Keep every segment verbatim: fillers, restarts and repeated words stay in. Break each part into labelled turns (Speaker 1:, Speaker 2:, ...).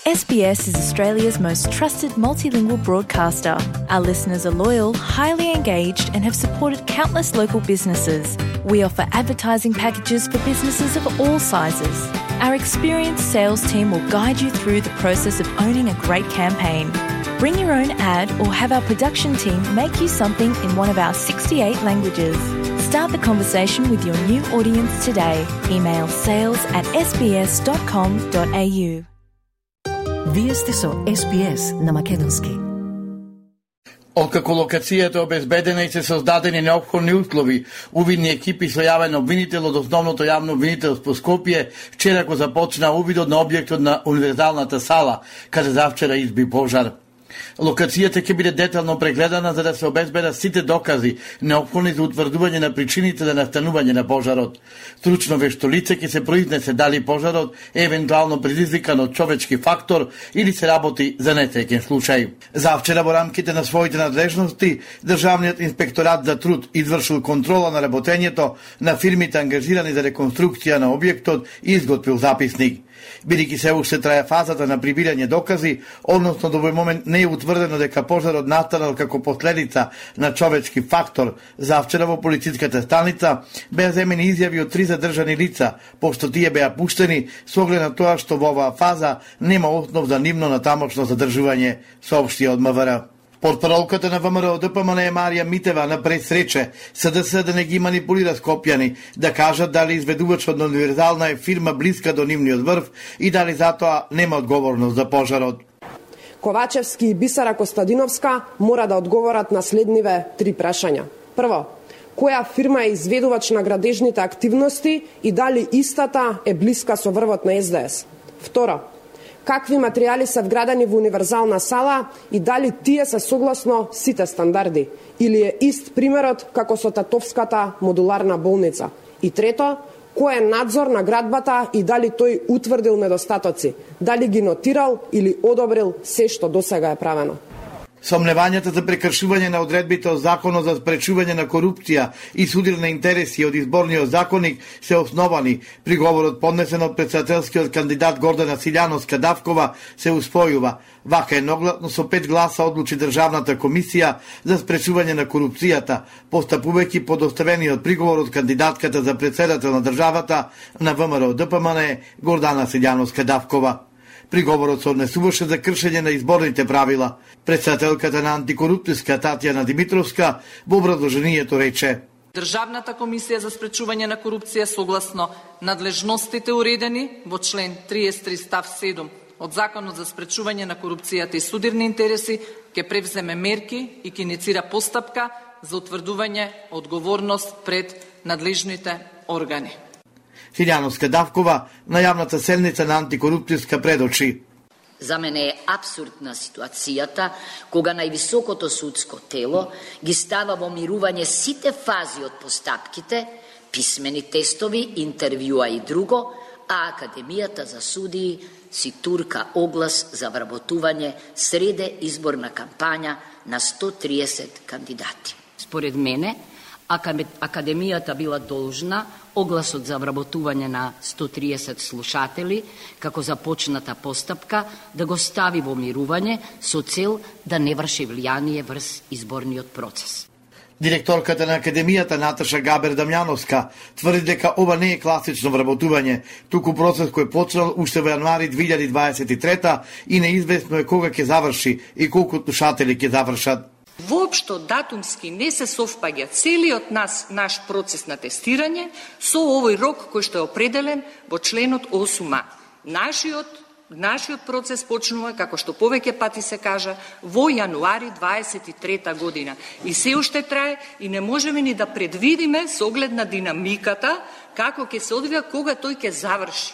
Speaker 1: S B S is Australia's most trusted multilingual broadcaster. Our listeners are loyal, highly engaged, and have supported countless local businesses. We offer advertising packages for businesses of all sizes. Our experienced sales team will guide you through the process of owning a great campaign. Bring your own ad or have our production team make you something in one of our sixty-eight languages. Start the conversation with your new audience today. Email sales at s b s dot com dot a u.
Speaker 2: Вие сте со С Б С на македонски.
Speaker 3: Откако локацијата е обезбедена и се создадени неопходни услови, увидни екипи со јавен обвинител од Основното јавно обвинителство Скопје вчера го започна увидот на објектот на универзалната сала, каде завчера изби пожар. Локацијата ќе биде детално прегледана за да се обезбедат сите докази неопходни за утврдување на причините за настанување на пожарот. Стручно вешто лице ќе се произнесе дали пожарот е евентуално предизвикан од човечки фактор или се работи за несреќен случај. Завчера во рамките на своите надлежности, Државниот инспекторат за труд извршил контрола на работењето на фирмите ангажирани за реконструкција на објектот и изготвил записник. Бидејќи се уште трае фазата на прибирање докази, односно до овој момент не е утврдено дека пожарот настанал како последица на човечки фактор, завчера во полициската станица беа земени изјави од три задржани лица, пошто тие беа пуштени со оглед на тоа што во оваа фаза нема основ за нивно натамошно задржување, соопшти од М В Р. Портпаролката на ВМРО Д П М Н Марија Митева на пресрече С Д С да не ги манипулира скопјани, да кажат дали изведувачот на универзална е фирма блиска до нивниот врв и дали затоа нема одговорност за пожарот.
Speaker 4: Ковачевски и Бисара Костадиновска мора да одговорат на следниве три прашања. Прво, која фирма е изведувач на градежните активности и дали истата е блиска со врвот на С Д С? Второ, какви материјали се вградени во универзална сала и дали тие се согласно сите стандарди или е ист примерот како со Татовската модуларна болница? И трето, кој е надзор на градбата и дали тој утврдил недостатоци, дали ги нотирал или одобрил се што досега е правено?
Speaker 3: Сомневањата за прекршување на одредбите од Законот за спречување на корупција и судир на интереси од изборниот законник се основани. Приговорот поднесен од претседателскиот кандидат Гордана Силјановска-Давкова се успојува. Вака едногласно со пет гласа одлучи Државната комисија за спречување на корупцијата, постапувајќи по доставениот приговор од кандидатката за претседател на државата на В М Р Д П М Н Гордана Силјановска-Давкова. Приговорот се однесуваше за кршење на изборните правила. Претседателката на антикорупцијска Татјана Димитровска во образложението рече:
Speaker 5: Државната комисија за спречување на корупција согласно надлежностите уредени во член триесет и три став седум од Законот за спречување на корупцијата и судирни интереси ќе превземе мерки и ќе иницира постапка за утврдување одговорност пред надлежните органи.
Speaker 3: Силјановска-Давкова на јавната седница на антикорупцијска предочи:
Speaker 6: За мене е апсурдна ситуацијата кога највисокото судско тело ги става во мирување сите фази од постапките, писмени тестови, интервјуа и друго, а Академијата за судии си турка оглас за вработување среде изборна кампања на сто триесет кандидати. Според мене, Академијата била должна огласот за вработување на сто триесет слушатели, како започната постапка, да го стави во мирување со цел да не врши влијание врз изборниот процес.
Speaker 3: Директорката на Академијата Наташа Габер Дамјановска тврди дека ова не е класично вработување, туку процес кој почнал уште во јануари две илјади дваесет и трета и неизвестно е кога ќе заврши и колку слушатели ќе завршат.
Speaker 7: Воопшто датумски не се совпаѓа целиот нас, наш процес на тестирање со овој рок кој што е определен во членот осум а. Нашиот, нашиот процес почнува, како што повеќе пати се кажа, во јануари дваесет и трета година. И се уште трае и не можеме ни да предвидиме со оглед на динамиката како ќе се одвија кога тој ќе заврши.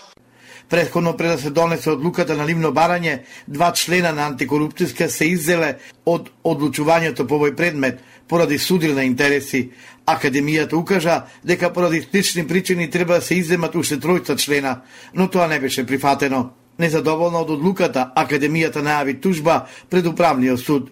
Speaker 3: Претходно пред да се донесе одлуката на нивно барање, два члена на антикорупцијска се иззеле од одлучувањето по овој предмет поради судир на интереси. Академијата укажа дека поради слични причини треба да се изземат уште тројца члена, но тоа не беше прифатено. Незадоволна од одлуката, Академијата најави тужба пред управниот суд.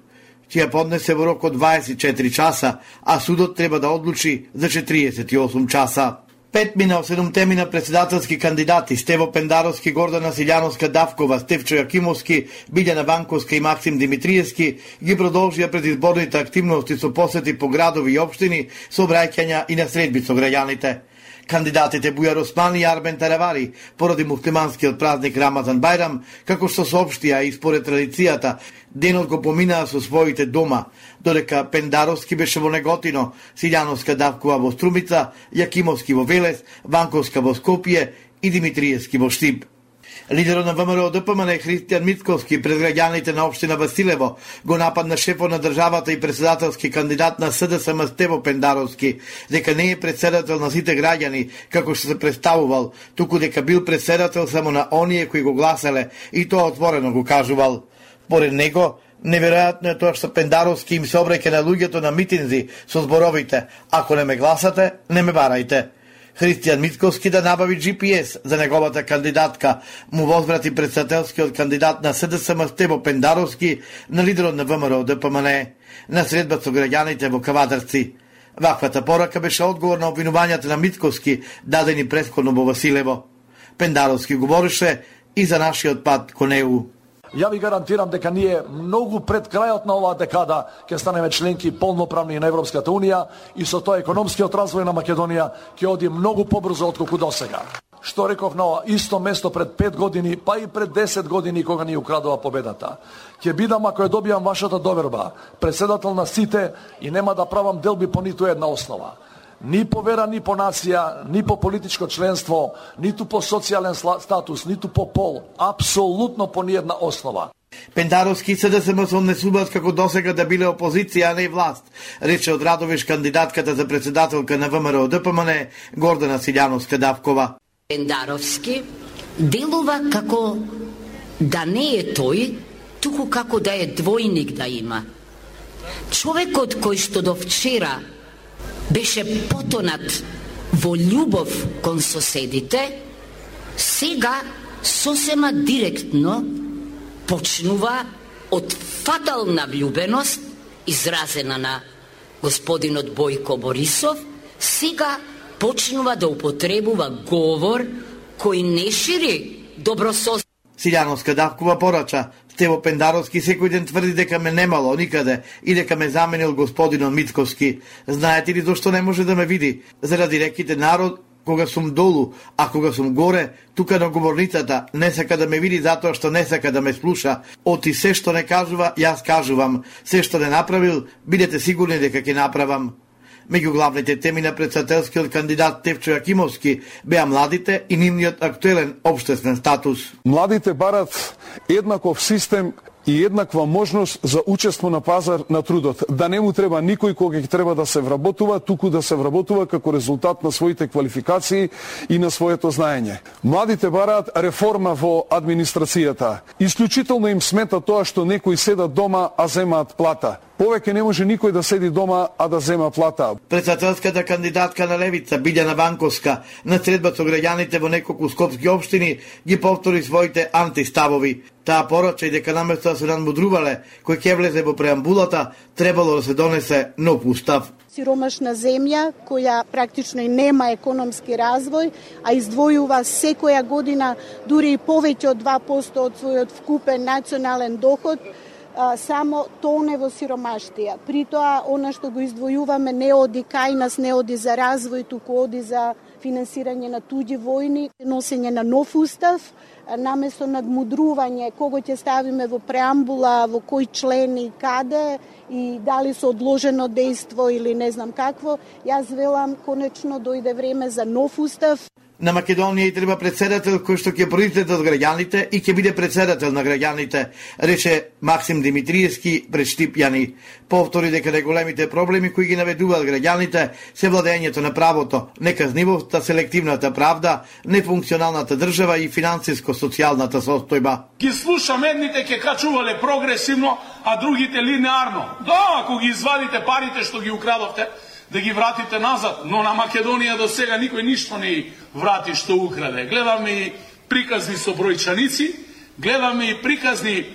Speaker 3: Тија поднесе во рок од дваесет и четири часа, а судот треба да одлучи за четириесет и осум часа. Пет мина седумте мина председателски кандидати Стево Пендаровски, Гордана Силјановска Давкова, Стефчо Јакимовски, Билјана Ванковска и Максим Димитриевски ги продолжија предизборните активности со посети по градови и општини, со обраќања и на средби со граѓаните. Кандидатите Бујар Османи и Арбен Таравари, поради муслиманскиот празник Рамазан Бајрам, како што соопштија и според традицијата, денот го поминаа со своите дома, додека Пендаровски беше во Неготино, Силјановска Давкова во Струмица, Јакимовски во Велес, Ванковска во Скопје и Димитриевски во Штип. Лидерот на ВМРО Д П М Н Христијан Мицковски пред граѓаните на општина Василево го нападна шефот на државата и председателски кандидат на С Д С М Стево Пендаровски, дека не е председател на сите граѓани, како што се представувал, туку дека бил председател само на оние кои го гласеле, и тоа отворено го кажувал. Поред него, неверојатно е тоа што Пендаровски им се обраќа на луѓето на митинзи со зборовите: ако не ме гласате, не ме барајте. Христијан Мицковски да набави Джи Пи Ес за неговата кандидатка, му возврати председателскиот кандидат на С Д С М Стево Пендаровски на лидерот на ВМРО Д П М Н на средба со граѓаните во Кавадарци. Ваквата порака беше одговор на обвинувањата на Мицковски, дадени претходно во Василево. Пендаровски говореше и за нашиот пат кон Е У.
Speaker 8: Ја ви гарантирам дека ние многу пред крајот на оваа декада ќе станеме членки полноправни на Европската Унија и со тоа економскиот развој на Македонија ќе оди многу побрзо отколку досега. Што реков на ова исто место пред пет години, па и пред десет години кога ни украдува победата. Ќе бидам, ако ја добијам вашата доверба, председател на сите и нема да правам делби по ниту една основа. Ни по вера, ни по нација, ни по политичко членство, ниту по социјален статус, ниту по пол, апсолутно по ниедна основа.
Speaker 3: Пендаровски и С Д С М се однесуваат како досега да биле опозиција, а не власт, рече од Радовиш кандидатката за председателка на ВМРО Д П М Н Гордана Силјановска Давкова.
Speaker 6: Пендаровски делува како да не е тој, туку како да е двојник да има. Човекот кој што до вчера беше потонат во љубов кон соседите, сега сосема директно почнува од фатална влюбеност, изразена на господинот Бојко Борисов, сега почнува да употребува говор кој не шири добрососедство.
Speaker 3: Силјановска Давкова порача: Стево Пендаровски секој ден тврди дека ме немало никаде и дека ме заменил господинот Мицковски. Знаете ли зашто не може да ме види? Заради реките народ кога сум долу, а кога сум горе, тука на говорницата, не сака да ме види затоа што не сака да ме слуша. Оти се што не кажува, јас кажувам. Се што не направил, бидете сигурни дека ќе направам. Меѓу главните теми на председателскиот кандидат Стефчо Јакимовски беа младите и нивниот актуелен општествен статус.
Speaker 9: Младите барат еднаков систем и еднаква можност за учество на пазар на трудот. Да не му треба никој кога ќе треба да се вработува, туку да се вработува како резултат на своите квалификации и на своето знаење. Младите бараат реформа во администрацијата. Исклучително им смета тоа што некои седат дома, а земаат плата. Повеќе не може никој да седи дома, а да зема плата.
Speaker 3: Председателската кандидатка на Левица, Билјана Ванковска, на средба со граѓаните во неколку скопски општини, ги повтори своите антиставови. Таа порача и дека наместо да се надмудрувале кој ќе влезе во преамбулата, требало да се донесе нов устав.
Speaker 10: Сиромашна земја која практично и нема економски развој, а издвојува секоја година дури и повеќе од два проценти од својот вкупен национален доход, само тоне во сиромаштија. При тоа, она што го издвојуваме не оди кај нас, не оди за развој, туку оди за финансирање на туѓи војни, носење на нов устав, наместо надмудрување кого ќе ставиме во преамбула, во кој член и каде, и дали со одложено дејство или не знам какво, јас велам конечно дојде време за нов устав.
Speaker 3: На Македонија и треба председател кој што ќе произлезе од граѓаните и ќе биде председател на граѓаните, рече Максим Димитриевски пред Штипјани. Повтори дека најголемите проблеми кои ги наведуваат граѓаните се владењето на правото, неказнивоста, селективната правда, нефункционалната држава и финансиско-социјалната состојба.
Speaker 11: Ги слушам, едните ќе качувале прогресивно, а другите линеарно. Да, ако ги извадите парите што ги украдовте, да ги вратите назад, но на Македонија до сега никој ништо не врати што украде. Гледаме и приказни со бројчаници, гледаме и приказни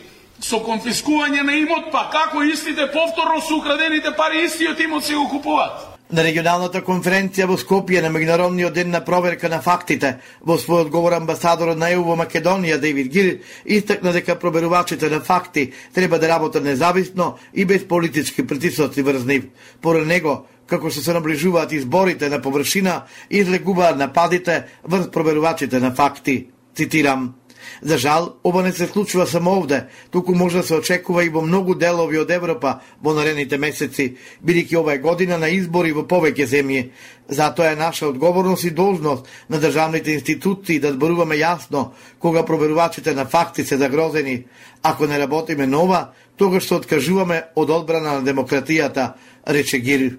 Speaker 11: со конфискување на имот, па како истите повторно со украдените пари истиот имот се го купуваат.
Speaker 3: На регионалната конференција во Скопје на меѓународниот ден на проверка на фактите, во свој одговор амбасадорот на Е У во Македонија Дейвид Гир истакна дека проверувачите на факти треба да работат независно и без политички притисоци врз нив. Поред него, како што се наближуваат изборите на површина, излегуваат нападите врз проверувачите на факти. Цитирам: "За жал, ова не се случува само овде, туку може да се очекува и во многу делови од Европа во наредните месеци, бидејќи ова е година на избори во повеќе земји. Затоа е наша одговорност и должност на државните институции да зборуваме јасно кога проверувачите на факти се загрозени. Ако не работиме нова, тогаш се откажуваме од одбрана на демократијата", рече Гир.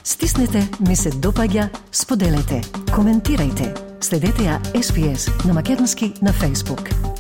Speaker 2: Стиснете, ми се допаѓа, споделете, коментирајте. Следете ја Ес Би Ес на македонски на Facebook.